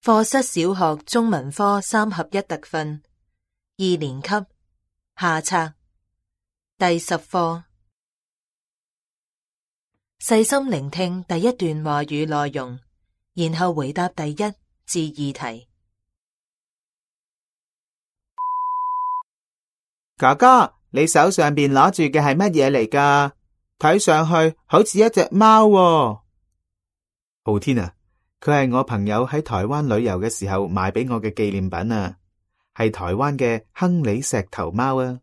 課室小學中文科3合1特訓2年級下冊第10課。細心聆聽第一段話語內容，然後回答第1至2題。哥哥，你手上邊攞住嘅係乜嘢嚟㗎？睇上去好似一隻貓喎。浩天啊，佢係我朋友喺台灣旅遊嘅時候買俾我嘅紀念品啊，係台灣嘅亨利石頭貓啊。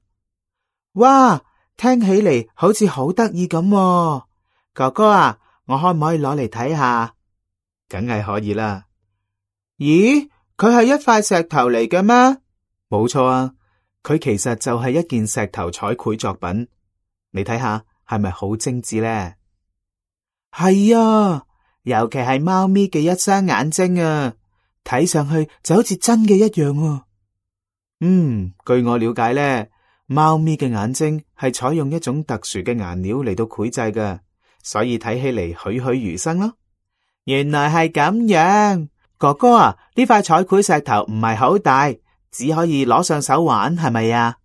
哇，聽起嚟好似好得意咁喎。哥哥啊，我可唔可以攞嚟睇下？梗係可以啦。咦，佢係一塊石頭嚟嘅咩？冇錯啊，佢其實就係一件石頭彩繪作品。你睇下係咪好精緻呢？係啊，尤其係貓咪嘅一雙眼睛啊，睇上去就好似真嘅一樣啊。據我了解呢，貓咪嘅眼睛係採用一種特殊嘅顏料嚟到繪製嘅，所以睇起嚟栩栩如生咯。原來係咁樣，哥哥啊，呢塊彩繪石頭唔係好大，只可以攞上手玩，係咪啊？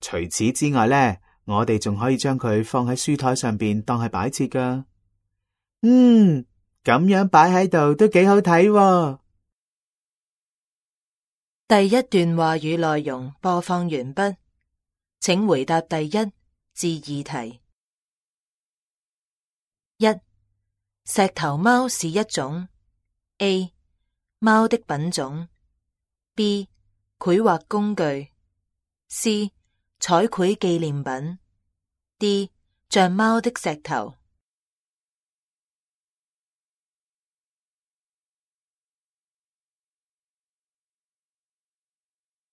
除此之外呢，我哋仲可以將佢放喺書台上邊當係擺設噶。咁樣擺喺度都幾好睇喎。第一段話語內容播放完畢，請回答第1至2題。1. 石頭貓是一種 A. 貓的品種 B. 繪畫工具 C. 彩繪紀念品 D. 像貓的石頭。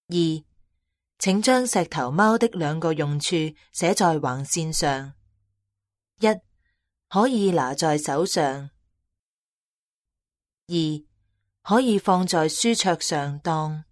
2. 請將石頭貓的2個用處寫在橫線上。1. 可以拿在手上。2. 可以放在書桌上當。